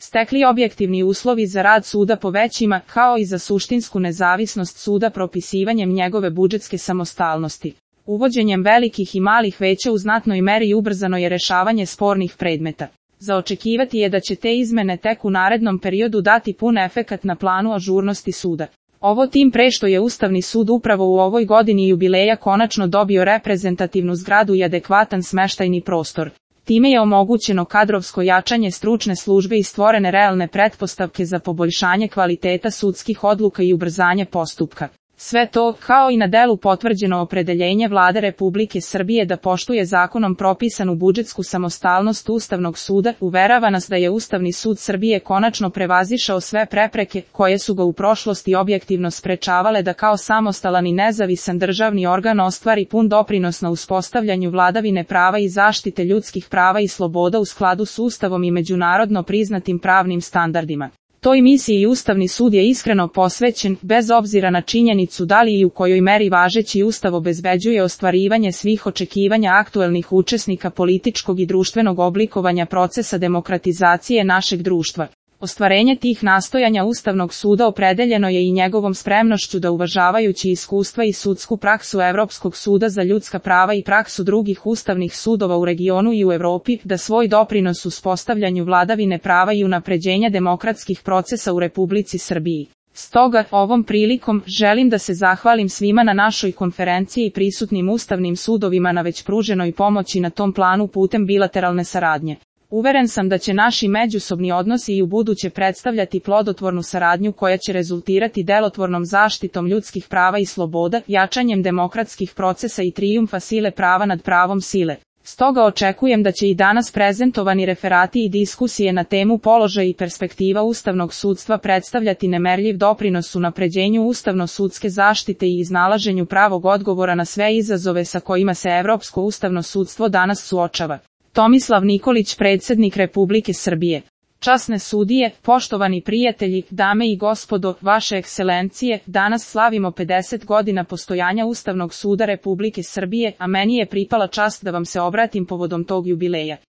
stekli objektivni uslovi za rad suda po većima, kao i za suštinsku nezavisnost suda propisivanjem njegove budžetske samostalnosti. Uvođenjem velikih i malih veća u znatnoj meri ubrzano je rešavanje spornih predmeta. Za očekivati je da će te izmene tek u narednom periodu dati pun efekat na planu ažurnosti suda. Ovo tim pre što je Ustavni sud upravo u ovoj godini jubileja konačno dobio reprezentativnu zgradu i adekvatan smeštajni prostor. Time je omogućeno kadrovsko jačanje stručne službe i stvorene realne pretpostavke za poboljšanje kvaliteta sudskih odluka i ubrzanje postupka. Sve to, kao i na delu potvrđeno opredeljenje Vlade Republike Srbije da poštuje zakonom propisanu budžetsku samostalnost Ustavnog suda, uverava nas da je Ustavni sud Srbije konačno prevazišao sve prepreke koje su ga u prošlosti objektivno sprečavale da kao samostalan i nezavisan državni organ ostvari pun doprinos na uspostavljanju vladavine prava i zaštite ljudskih prava i sloboda u skladu s Ustavom i međunarodno priznatim pravnim standardima. Toj misiji Ustavni sud je iskreno posvećen, bez obzira na činjenicu da li i u kojoj meri važeći Ustav obezbeđuje ostvarivanje svih očekivanja aktuelnih učesnika političkog i društvenog oblikovanja procesa demokratizacije našeg društva. Ostvarenje tih nastojanja Ustavnog suda opredeljeno je i njegovom spremnošću da uvažavajući iskustva i sudsku praksu Evropskog suda za ljudska prava i praksu drugih ustavnih sudova u regionu i u Evropi, da svoj doprinos uspostavljanju vladavine prava i unapređenja demokratskih procesa u Republici Srbiji. Stoga, ovom prilikom, želim da se zahvalim svima na našoj konferenciji i prisutnim ustavnim sudovima na već pruženoj pomoći na tom planu putem bilateralne saradnje. Uveren sam da će naši međusobni odnosi i ubuduće predstavljati plodotvornu saradnju koja će rezultirati delotvornom zaštitom ljudskih prava i sloboda, jačanjem demokratskih procesa i trijumfa sile prava nad pravom sile. Stoga očekujem da će i danas prezentovani referati i diskusije na temu položaj i perspektiva ustavnog sudstva predstavljati nemerljiv doprinos unapređenju ustavno-sudske zaštite i iznalaženju pravog odgovora na sve izazove sa kojima se Evropsko ustavno sudstvo danas suočava. Tomislav Nikolić, predsjednik Republike Srbije. Časne sudije, poštovani prijatelji, dame i gospodo, vaše ekscelencije, danas slavimo 50 godina postojanja Ustavnog suda Republike Srbije, a meni je pripala čast da vam se obratim povodom tog jubileja.